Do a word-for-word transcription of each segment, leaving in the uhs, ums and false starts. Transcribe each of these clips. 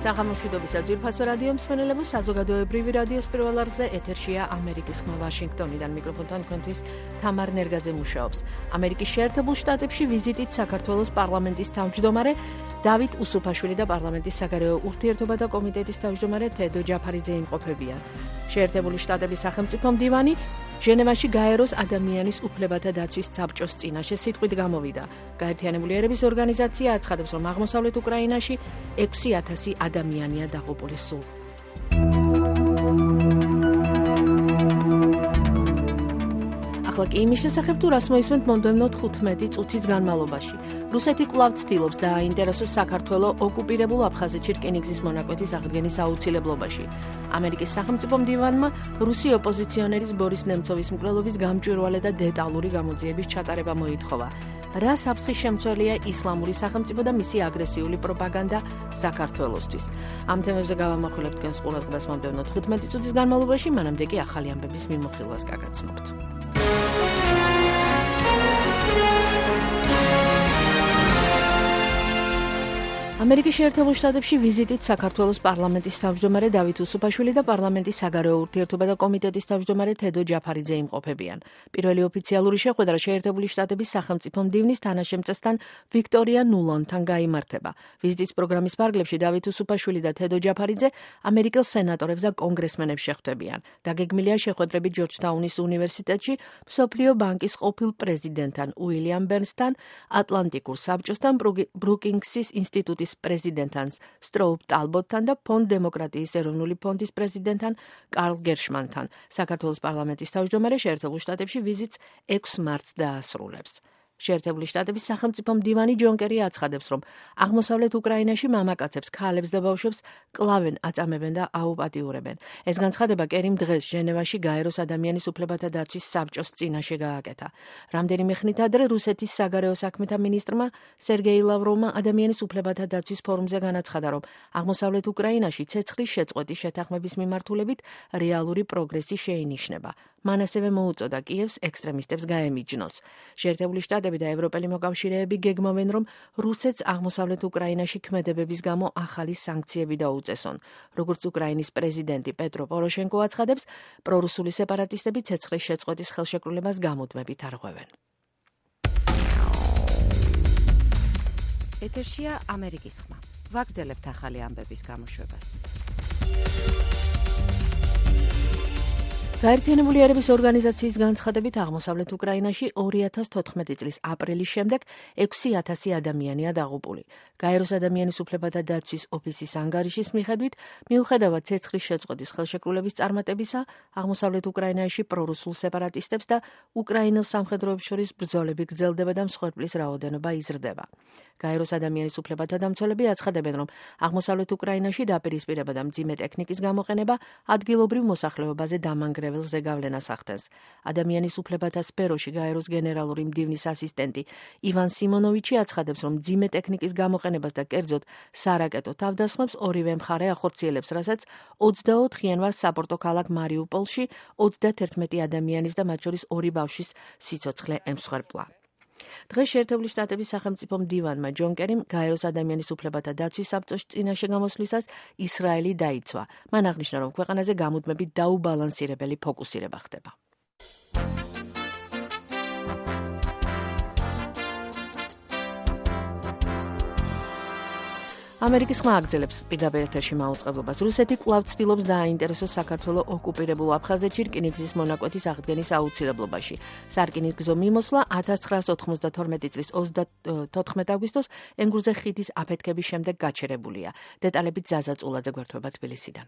საღამოშვიდობის აძვირფასო რადიო მსმენელებო, საზოგადოებრივი რადიოს პირველ არხზე ეთერშია ამერიკის ხმა ვაშინგტონიდან. მიკროფონთან თქვენთვის თამარ ნერგაძე მუშაობს. ამერიკის შეერთებულ შტატებში ვიზიტით საქართველოს პარლამენტის თავმჯდომარე დავით უსუფაშვილი და პარლამენტის საგარეო ურთიერთობათა კომიტეტის თავმჯდომარე თედო ჯაფარიძე იმყოფებიან. შეერთებული შტატების სახელმწიფო მდივანი ჟენევაში გაეროს ადამიანის უფლებათა დაცვის საბჭოს წინაშე სიტყვით გამოვიდა. გაერთიანებული ერების ორგანიზაცია აცხადებს, რომ აღმოსავლეთ უკრაინაში ექვსი ათასი ადამიანია დაღუპული სულ. ახლა კი იმის შესახებ, თუ რას მოისმენთ მომდევნო თხუთმეტი წუთის განმავლობაში. რუსეთი კვლავ ცდილობს დააინტერესოს საქართველოს ოკუპირებულ აფხაზეთში რკინიგზის მონაკვეთის აღდგენის აუცილებლობაში. ამერიკის სახელმწიფო მდივანმა რუსი ოპოზიციონერის ბორის ნემცოვის მკვლელობის გამჭვირვალე და დეტალური გამოძიების ჩატარება მოითხოვა. რა საფრთხის შემცველია ისლამური სახელმწიფო და მისი აგრესიული პროპაგანდა საქართველოსთვის. ამ თემებზე გავამახვილებთ თქვენს ყურადღებას მომდევნო თხუთმეტი წუთის განმავლობაში, მანამდე კი ახალი ამბების მიმოხილვას გაგაცნობთ. ამერიკის შეერთებულ შტატებში ვიზიტით საქართველოს პარლამენტის თავმჯდომარე დავით უსუფაშვილი და პარლამენტის საგარეო ურთიერთობათა კომიტეტის თავმჯდომარე თედო ჯაფარიძე იმყოფებიან. პირველი ოფიციალური შეხვედრა შეერთებული შტატების სახელმწიფო მდივნის თანაშემწესთან ვიქტორია ნულანთან გაიმართება. ვიზიტის პროგრამის ფარგლებში დავით უსუფაშვილი და თედო ჯაფარიძე ამერიკელ სენატორებს და კონგრესმენებს შეხვდებიან. დაგეგმილია შეხვედრები ჯორჯთაუნის უნივერსიტეტში მსოფლიო ბანკის ყოფილ პრეზიდენტთან უილიამ ბერნსთან, ატლანტიკურ საბჭოსთან, ბრუკინგსის ინსტიტუტის პრეზიდენტთან სტროუპ ტალბოტთან და ფონდ დემოკრატიის ეროვნული ფონდის პრეზიდენტთან კარლ გერშმანთან. საქართველოს პარლამენტის თავმჯდომარე შეერთებულ შტატებში ვიზიტს ექვსი მარტს დაასრულებს. შეერთებული შტატების სახელმწიფო მდივანი ჯონ კერი აცხადებს, რომ აღმოსავლეთ უკრაინაში მამაკაცებს, ქალებს და ბავშვებს კლავენ, აწამებენ და აუპატიურებენ. ეს განცხადება კერიმ დღეს ჟენევაში გაეროს ადამიანის უფლებათა დაცვის საბჭოს წინაშე გააკეთა. რამდენიმე ხნით ადრე რუსეთის საგარეო საქმეთა მინისტრმა სერგეი ლავროვმა ადამიანის უფლებათა დაცვის ფორუმზე განაცხადა, რომ აღმოსავლეთ უკრაინაში ცეცხლის შეწყვეტის შეთანხმების მიმართულებით რეალური პროგრესი შეინიშნება. მან ასევე მოუწოდა კიევს ექსტრემისტებს გაემიჯნოს. შეერთებული შტატები და ევროპელი მოკავშირეები გეგმავენ, რომ რუსეთს აღმოსავლეთ უკრაინაში ქმედებების გამო ახალი სანქციები დაუწესონ. როგორც უკრაინის პრეზიდენტი პეტრო პოროშენკო აცხადებს, პრორუსული სეპარატისტები ცეცხლის შეწყვეტის ხელშეკრულებას გამუდმებით არღვევენ. ეთერშია ამერიკის ხმა. ვაგრძელებთ ახალი ამბების გამოშვებას. გაერთიანებული ერების ორგანიზაციის განცხადებით აღმოსავლეთ უკრაინაში ორი ათას თოთხმეტი წლის აპრილის შემდეგ ექვსი ათასი ადამიანია დაღუპული. გაეროს ადამიანის უფლებათა დაცვის ოფისის ანგარიშის მიხედვით, მიუხედავად ცეცხლის შეწყვეტის ხელშეკრულების წარმატებისა, აღმოსავლეთ უკრაინაში პრორუსულ სეპარატისტებს და უკრაინელ სამხედროებს შორის ბრძოლები გრძელდება და მსხვერპლის რაოდენობა იზრდება. გაეროს ადამიანის უფლებათა დამცველები აცხადებენ, რომ აღმოსავლეთ უკრაინაში დაპირისპირება და მძიმე ტექნიკის გამოყენება ადგილობრივ მოსახლეობაზე დამანგრეველზე გავლენას ახდენს. ადამიანის უფლებათა სფეროში გაეროს გენერალური მდივნის ასისტენტი ივან სიმონოვიჩი აცხადებს, რომ მძიმე ტექნიკის გამოყენებას და კერძოდ სარაკეტო თავდასხმებს ორივე მხარე ახორციელებს, რასაც ოცდაოთხ იანვარს საპორტო ქალაქ მარიუპოლში ოცდაათერთმეტი ადამიანის და მათ შორის ორი ბავშვის სიცოცხლე ემსხვერპლა. დღეს შეერთებული შტატების სახელმწიფო მდივანმა ჯონ კერიმ გაეროს ადამიანის უფლებათა დაცვის საბჭოს წინაშე გამოსვლისას ისრაელი დაიცვა. მან აღნიშნა, რომ ქვეყანაზე გამუდმებით დაუბალანსირებელი ფოკუსირება ხდება. ამერიკის ხმა აგრძელებს პირდაპირ ეთერში მაუწყებლობას. რუსეთი კვლავ ცდილობს დააინტერესოს საქართველოს ოკუპირებულ აფხაზეთში რკინიგზის მონაკვეთის აღდგენის აუცილებლობაში. სარკინიგზო მიმოსვლა ათას ცხრაას ოთხმოცდათორმეტი წლის ოცდათოთხმეტ აგვისტოს ენგურზე ხიდის აფეთქების შემდეგ გაჩერებულია. დეტალებით ზაზა წულაძე გვერდება თბილისიდან.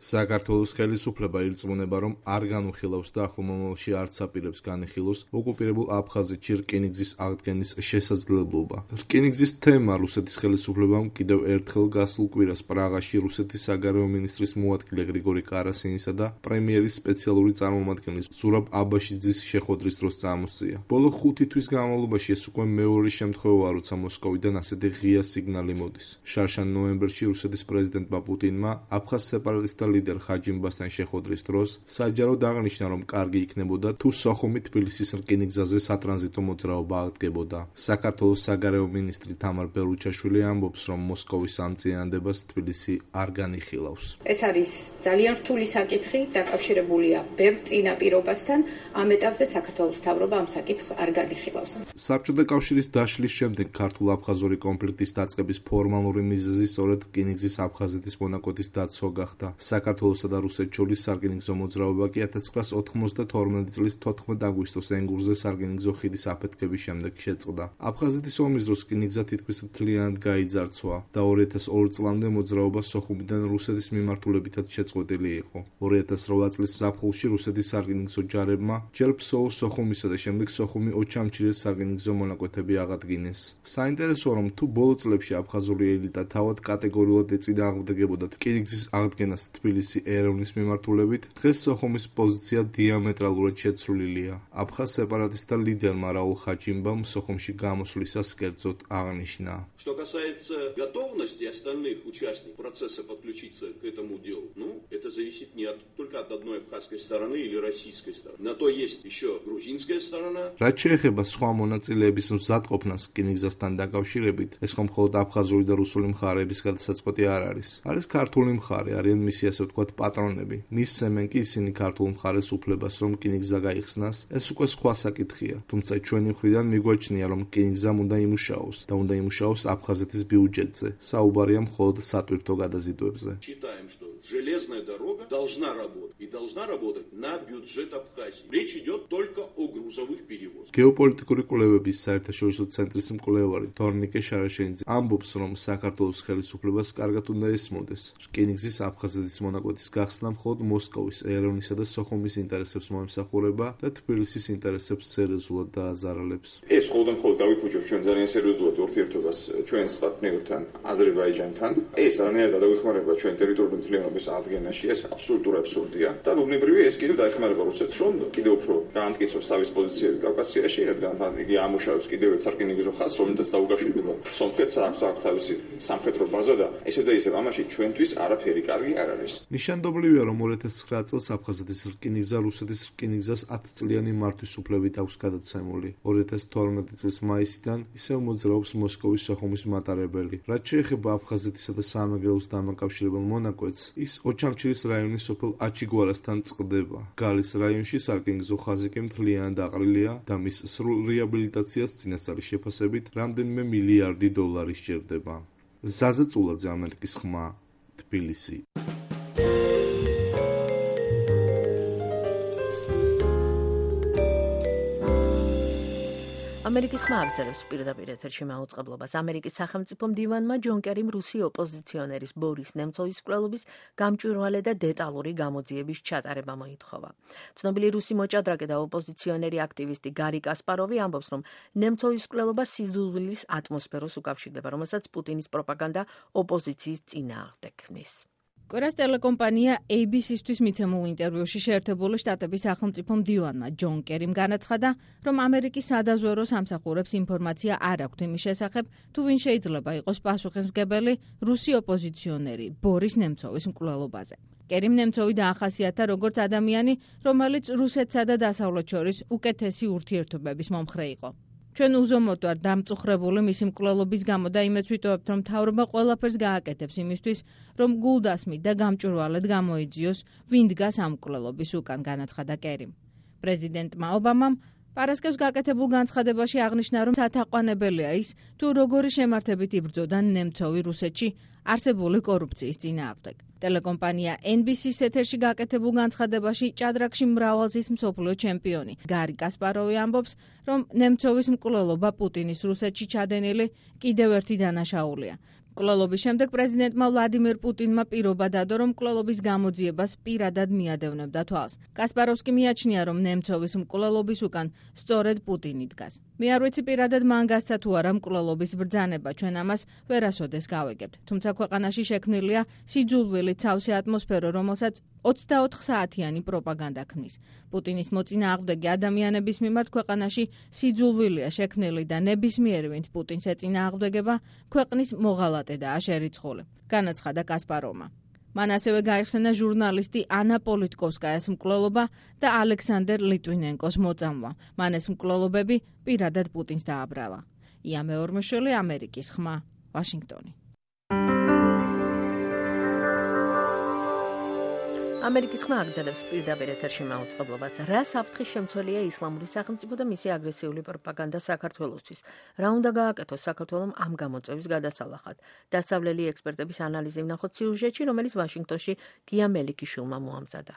საქართველოს ხელისუფლება ირწმუნება, რომ არ განუხილავს და ახლო მომავალში არც აპირებს განიხილოს ოკუპირებულ აფხაზეთში რკინიგზის აღდგენის შესაძლებლობა. რკინიგზის თემა რუსეთის ხელისუფლებამ კიდევ ერთხელ გასულ კვირას პრაღაში რუსეთის საგარეო მინისტრის მოადგილე გრიგორი კარასინისა და პრემიერის სპეციალური წარმომადგენლის ზურაბ აბაშიძის შეხვედრის დროს წამოსწია. ბოლო ხუთი თვის განმავლობაში ეს უკვე მეორე შემთხვევაა, როცა მოსკოვიდან ასეთი ღია სიგნალი მოდის. შარშან ნოემბერში რუსეთის პრეზიდენტმა პუტინმა აფხაზ სეპარატისტთა ლიდერ ხაჯიმბასთან შეხვედრის დროს საჯაროდ აღნიშნა, რომ კარგი იქნებოდა თუ სოხუმი თბილისის რკინიგზაზე სატრანზიტო მოძრაობა აღდგებოდა. საქართველოს საგარეო მინისტრი თამარ ბელუჩაშვილი ამბობს, რომ მოსკოვის ამ წინადადებას თბილისი არ განიხილავს. ეს არის ძალიან რთული საკითხი, დაკავშირებულია ბევრ წინაპირობასთან, ამ ეტაპზე საქართველოს მთავრობა ამ საკითხს არ განიხილავს. საბჭოთა კავშირის დაშლის შემდეგ ქართულ-აფხაზური კონფლიქტის დაწყების ფორმალური მიზეზი სწორედ რკინიგზის აფხაზეთის მონაკვეთის დაცვა გახდა. საქართველოსა და რუსეთს შორის სარკინიგზო მოძრაობა კი ათას ცხრაასა ოთხმოცდათორმეტი წლის თოთხმეტ აგვისტოს ენგურზე სარკინიგზო ხიდის აფეთქების შემდეგ შეწყდა. აფხაზეთის ომის დროს რკინიგზა თითქმის მთლიანად გაიძარცვა და ორი ათას ორი წლამდე მოძრაობა სოხუმიდან რუსეთის მიმართულებითაც შეწყვეტილი იყო. ორი ათას რვა წლის ზაფხულში რუსეთის სარკინიგზო ჯარებმა ჯერ ფსოუს სოხუმისა და შემდეგ სოხუმი ოჩამჩირეს სარკინიგზო მონაკვეთები აღადგინეს. საინტერესოა, რომ თუ ბოლო წლებში აფხაზური ელიტა თავად კატეგორიულად ეწინააღმდეგებოდა რკინიგზის აღდგენას თბილისი ერევნის მიმართულებით, დღეს სოხუმის პოზიცია диаметралურად შეცვლილია. აფხაზ сепаратиста лидерმა რაულ ხაჯიმბამ სოხუმში გამოსვლისას კერძოდ აღნიშნა. Что касается готовности остальных участников процесса подключиться к этому делу, ну, это зависит не от, только от одной абхазской стороны или российской стороны. На то есть еще грузинская сторона. რაც შეეხება სხვა მონაწილეების მზადყოფნას რკინიგზასთან დაკავშირებით, ეს ხომ მხოლოდ აფხაზური და რუსული მხარეების გადასაწყვეტი არ არის. არის ქართული მხარე, არიან მისი ასე ვთქვათ პატრონები. მისცემენ კი ისინი ქართულ მხარეს უფლებას, რომ რკინიგზა გაიხსნას, ეს უკვე სხვა საკითხია. თუმცა ჩვენი მხრიდან მიგვაჩნია, რომ რკინიგზამ უნდა იმუშაოს და უნდა იმუშაოს აფხაზეთის ბიუჯეტზე. საუბარია მხოლოდ სატვირთო გადაზიდვებზე. Считаем, что железная дорога должна работать и должна работать на бюджет Абхазии. Речь идет только о грузовых перевозках. გეოპოლიტიკური კვლევების საერთაშორისო ცენტრის მკვლევარი თორნიკე შარაშენიძე ამბობს, რომ საქართველოს ხელისუფლებას კარგად უნდა ესმოდეს რკინიგზის აფხაზეთის მონაკვეთის გახსნა მხოლოდ მოსკოვის, ერევნისა და სოხუმის ინტერესებს მოემსახურება და თბილისის ინტერესებს სერიოზულად დააზარალებს. ეს ხოლმე მხოლოდ დავიფუჭებ ჩვენ ძალიან სერიოზულად ურთიერთობას ჩვენს პარტნიორთან აზერბაიჯანთან. ეს არანაირად დაგვეხმარება ჩვენ ტერიტორიული მთლიანობის აღდგენაში, ეს აბსოლუტურად აბსურდია. და უბნებრივია ეს კიდევ დაეხმარება რუსეთს, რომ კიდევ უფრო გაამტკიცოს თავის პოზიციები კავკასიაში, რადგან იგი ამუშავებს კიდევ ერთ სარკინიგზო ხაზს, რომელთაც დაუკავშირდება სომხეთს, აქვს აქვს თავისი სამხედრო ბაზა და ესე და ისე ამაში ჩვენთვის არაფერი კარგი არ არის. ნიშანდობლივია, რომ ორი ათას ცხრა წელს აფხაზეთის რკინიგზა რუსეთის რკინიგზას ათწლიანი მართვის უფლებით აქვს გადაცემული. ორი ათას თორმეტი წლის მაისიდან ისევ მოძრაობს მოსკოვის სოხუმის მატარებელი. რაც შეეხება აფხაზეთისა და საამეგრელოს დამაკავშირებელ მონაკვეთს, ის ოჩამჩირის რაიონის სოფელ აჩიგوارასთან წყდება. გალის რაიონში სარკინიგზო ხაზი კი მთლიანად აყრილია და მის სრულ რეაბილიტაციას წინასწარი შეფასებით რამდენიმე მილიარდი დოლარი სჭირდება. ზაზა წულაძე, ამერიკის ხმა, თბილისი. ამერიკის ხმა აღწერს პირდაპირ ეთერში მაუწყებლობას. ამერიკის სახელმწიფო მდივანმა ჯონ კერიმ რუსი ოპოზიციონერის ბორის ნემცოვის მკვლელობის გამჭვირვალე და დეტალური გამოძიების ჩატარება მოითხოვა. ცნობილი რუსი მოჭადრაკე და ოპოზიციონერი აქტივისტი გარი კასპაროვი ამბობს, რომ ნემცოვის მკვლელობა სიძულვილის ატმოსფეროს უკავშირდება, რომელსაც პუტინის პროპაგანდა ოპოზიციის წინააღმდეგ ქმნის. კორას ტელეკომპანია ეი ბი სი-ისთვის მიცემულ ინტერვიუში შეერთებული შტატების სახელმწიფო მდივანმა ჯონ კერიმ განაცხადა, რომ ამერიკის სადაზვერვო სამსახურებს ინფორმაცია არ აქვთ იმის შესახებ, თუ ვინ შეიძლება იყოს პასუხისმგებელი რუსი ოპოზიციონერი ბორის ნემცოვის მკვლელობაზე. კერიმ ნემცოვი დაახასიათა როგორც ადამიანი, რომელიც რუსეთსა და დასავლეთ შორის უკეთესი ურთიერთობების მომხრე იყო. ჩვენ უზომოდ ვარ დამწუხრებული მისი მკვლელობის გამო და იმეც ვიტოვებთ, რომ მთავრობა ყველაფერს გააკეთებს იმისთვის, რომ გულდასმით და გამჭვირვალედ გამოიძიოს, ვინ დგას ამ მკვლელობის უკან, განაცხადა კერიმ. პრეზიდენტმა ობამამ პარასკევს გაკეთებულ განცხადებაში აღნიშნა, რომ სათაყვანებელია ის, თუ როგორი შემართებით იბრძოდა ნემცოვი რუსეთში არსებული კორუფციის წინააღმდეგ. ტელეკომპანია ენ ბი სი-ს ეთერში გაკეთებულ განცხადებაში ჭადრაკში მრავალზის მსოფლიო ჩემპიონი გარი კასპაროვი ამბობს, რომ ნემცოვის მკვლელობა პუტინის რუსეთში ჩადენილი კიდევ ერთი დანაშაულია. მკვლელობის შემდეგ პრეზიდენტმა ვლადიმერ პუტინმა პირობა დადო, რომ მკვლელობის გამოძიებას პირადად მიადევნებდა თვალს. კასპაროვს კი მიაჩნია, რომ ნემცოვის მკვლელობის უკან სწორედ პუტინი დგას. მე არ ვიცი პირადად მან გასცა თუ არა მკვლელობის ბრძანება, ჩვენ ამას ვერასოდეს გავეგებთ. თუმცა ქვეყანაში შექმნილია სიძულვილი ცავსე ატმოსფერო, რომელსაც ოცდაოთხ საათიანი პროპაგანდა ქმნის. პუტინის მოწინააღმდეგე ადამიანების მიმართ ქვეყანაში სიძულვილია შექმნილი და ნებისმიერი ვინც პუტინს ეწინააღმდეგება, ქვეყნის მოღალატედაა შერიცხული, განაცხადა კასპაროვმა. მან ასევე გაიხსენა ჟურნალისტი ანა პოლიტკოვსკაიას მკვლელობა და ალექსანდერ ლიტვინენკოს მოწამვლა. მან ეს მკვლელობები პირადად პუტინს დააბრალა. ია მეორმეშვილი, ამერიკის ხმა, ვაშინგტონი. ამერიკის ხმა აგრძელებს პირდაპირ ეთერში მაუწყებლობას. რა საფრთხის შემცველია ისლამური სახელმწიფო და მისი აგრესიული პროპაგანდა საქართველოსთვის? რა უნდა გააკეთოს საქართველომ ამ გამოწვევის გადასალახად? დასავლელი ექსპერტების ანალიზი ვნახოთ სიუჟეტში, რომელიც ვაშინგტონში გია მელიქიშვილმა მოამზადა.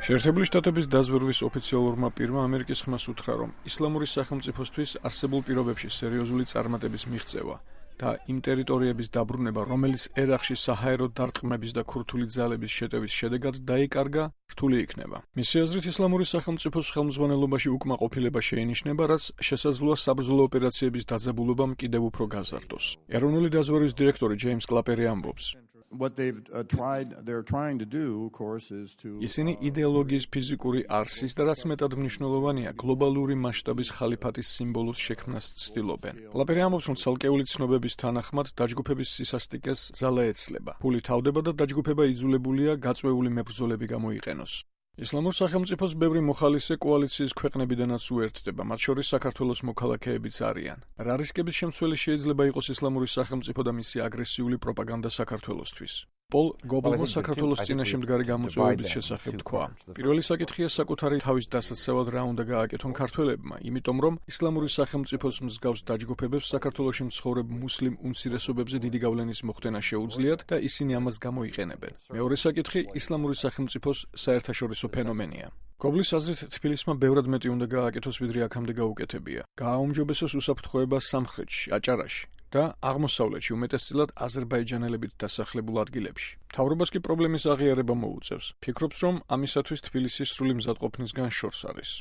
შეერთებული შტატების დაზვერვის ოფიციალურმა პირმა ამერიკის ხმას უთხრა, რომ ისლამური სახელმწიფოსთვის არსებულ პირობებში სერიოზული წარმატების მიღწევა და იმ ტერიტორიების დაბრუნება, რომელიც ერაყში საჰაერო დარტყმების და ქურთული ძალების შეტევის შედეგად დაიკარგა, რთული იქნება. მისი აზრით, ისლამური სახელმწიფოს ხელმძღვანელობაში უკმაყოფილება შეინიშნება, რაც შესაძლოა საბრძოლო ოპერაციების დაძაბულობამ კიდევ უფრო გაზარდოს. ეროვნული დაზვერვის დირექტორი ჯეიმს კლაპერი ამბობს. What they've uh, tried, they're trying to do, of course, is to. ისინი იდეოლოგიის ფიზიკური არსის და რაც მეტად მნიშვნელოვანია, გლობალური მასშტაბის ხალიფატის სიმბოლოს შექმნას ცდილობენ. კლაპერი ამბობს, რომ ცალკეული ცნობების თანახმად დაჯგუფების სისასტიკეს ძალა ეცლება. ფული თავდება და დაჯგუფება იძულებულია გაწვეული მებრძოლები გამოიყენოს. ისლამურ სახელმწიფოს ბევრი მოხალისე კოალიციის ქვეყნებიდანაც უერთდება, მათ შორის საქართველოს მოქალაქეებიც არიან. რა რისკების შემცველი შეიძლება იყოს ისლამური სახელმწიფო და მისი აგრესიული პროპაგანდა საქართველოსთვის? პოლ გობლმა საქართველოს წინაშე მდგარი გამოწვევების შესახებ თქვა. პირველი საკითხია საკუთარი თავის დასაცავად რა უნდა გააკეთონ ქართველებმა, იმიტომ რომ ისლამური სახელმწიფოს მსგავს დაჯგუფებებს საქართველოში მცხოვრებ მუსლიმ უმცირესობებზე დიდი გავლენის მოხდენა შეუძლიათ და ისინი ამას გამოიყენებენ. მეორე საკითხი ისლამური სახელმწიფოს საერთაშორისო ფენომენია. გობლის აზრით, თბილისმა ბევრად მეტი უნდა გააკეთოს, ვიდრე აქამდე გაუკეთებია. გააუმჯობესოს უსაფრთხოება სამხრეთში, აჭარაში და აღმოსავლეთში, უმეტესწილად აზერბაიჯანელებით დასახლებულ ადგილებში. მთავრობას კი პრობლემის აღიარება მოუწევს. ფიქრობს, რომ ამისათვის თბილისის სრული მზადყოფნისგან შორს არის.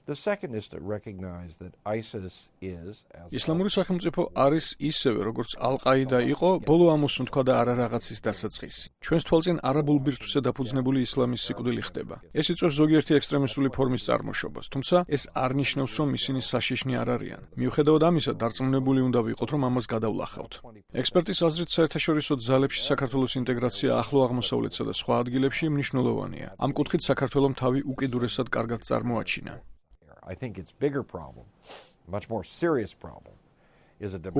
The second is to recognize that ISIS is as ისლამური სახელმწიფო არის ისევე, როგორც ალ-ყაიდა იყო, ბოლო ამოსუნთქვა და არა რაღაცის დასაწყისი. ჩვენს თვალწინ არაბულ ბირთვზე დაფუძნებული ისლამის სიკვდილი ხდება. ეს იწვევს ზოგიერთი ექსტრემისტული ფორმის წარმოშობას, თუმცა ეს არ ნიშნავს, რომ ისინი საშიშნი არ არიან. მიუხედავად ამისა, დარწმუნებული უნდა ვიყოთ, რომ ამას გადავლახავთ. ექსპერტის აზრით, საერთაშორისო ძალებში საქართველოს ინტეგრაცია ახლო აღმოსავლეთსა და სხვა ადგილებში მნიშვნელოვანია. ამ კუთხით საქართველოს თავი უკიდურესად კარგად წარმოაჩინა. I think it's bigger problem, much more serious problem.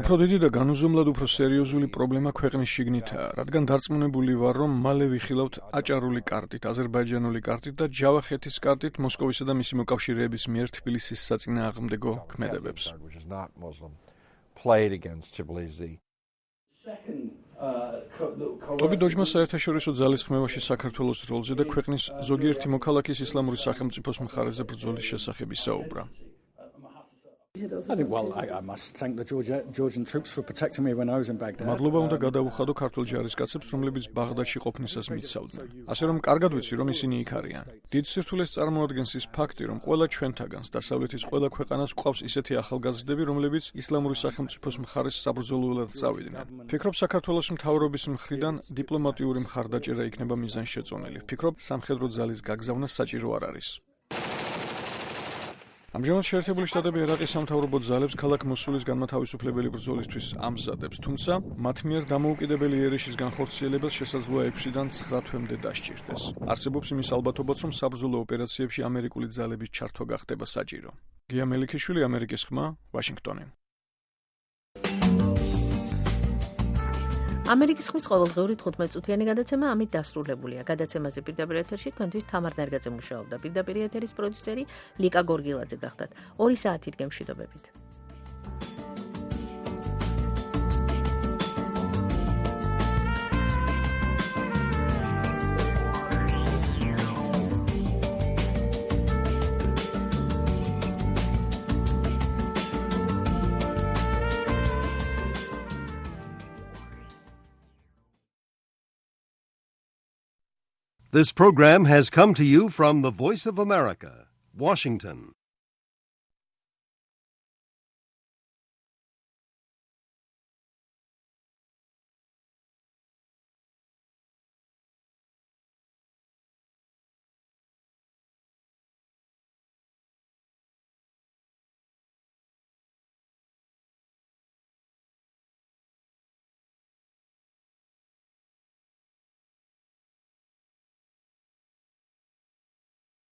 უფრო დიდი და განუზომლად უფრო სერიოზული პრობლემა ქვეყნის შიგნითაა, რადგან დარწმუნებული ვარ, რომ მალე ვიხილავთ აჭარული კარტით, აზერბაიჯანული კარტით და ჯავახეთის კარტით მოსკოვისა და მისი მოკავშირეების მიერ თბილისის საწინააღმდეგო ქმედებებს. ტობი დოჯმა საერთაშორისო ძალის ხმევაში საქართველოს როლზე და ქვეყნის ზოგიერთი მოქალაქის ისლამური სახელმწიფოს მხარეზე ბრძოლის შესახებ ისაუბრა. I think well I, I must thank the Georgia, Georgian troops for protecting me when I was in Baghdad. მადლობა უნდა გადავუხადო ქართულ ჯარისკაცებს, რომლებიც ბაღდადში ყოფნისას მიცავდნენ. ასე რომ კარგად ვიცი, რომ ისინი იქ არიან. დიდ სირთულეს წარმოადგენს ის ფაქტი, რომ ყველა ჩვენთაგანს დასავლეთის ყველა ქვეყანას გვყავს ისეთი ახალგაზრდები, რომლებიც ისლამური სახელმწიფოს მხარეს საბრძოლველად წავიდნენ. ფიქრობ, საქართველოს მთავრობის მხრიდან დიპლომატიური მხარდაჭერა იქნება მიზანშეწონილი. ფიქრობ, სამხედრო ძალის გაგზავნა საჭირო არ არის. ამჟამად შეერთებული შტატები ერაყის სამთავრობო ძალებს ქალაქ მოსულის განმათავისუფლებელი ბრძოლისთვის ამზადებს, თუმცა მათ მიერ დამოუკიდებელი იერიშის განხორციელებელს შესაძლოა ექვსიდან ცხრა თვემდე დასჭირდეს. არსებობს იმის ალბათობაც, რომ საბრძოლო ოპერაციებში ამერიკული ძალების ჩართვა გახდება საჭირო. გია მელიქიშვილი, ამერიკის ხმა, ვაშინგტონი. ამერიკის ხმის ყოველდღიური თხუთმეტ-წუთიანი გადაცემა ამით დასრულებულია. გადაცემაზე პირდაპირ ეთერში თქვენთვის თამარ ნერგაძე მუშაობდა. პირდაპირ ეთერის პროდიუსერი ლიკა გორგილაძე გახდათ. ორი საათით გემშვიდობებით. This program has come to you from the Voice of America, Washington.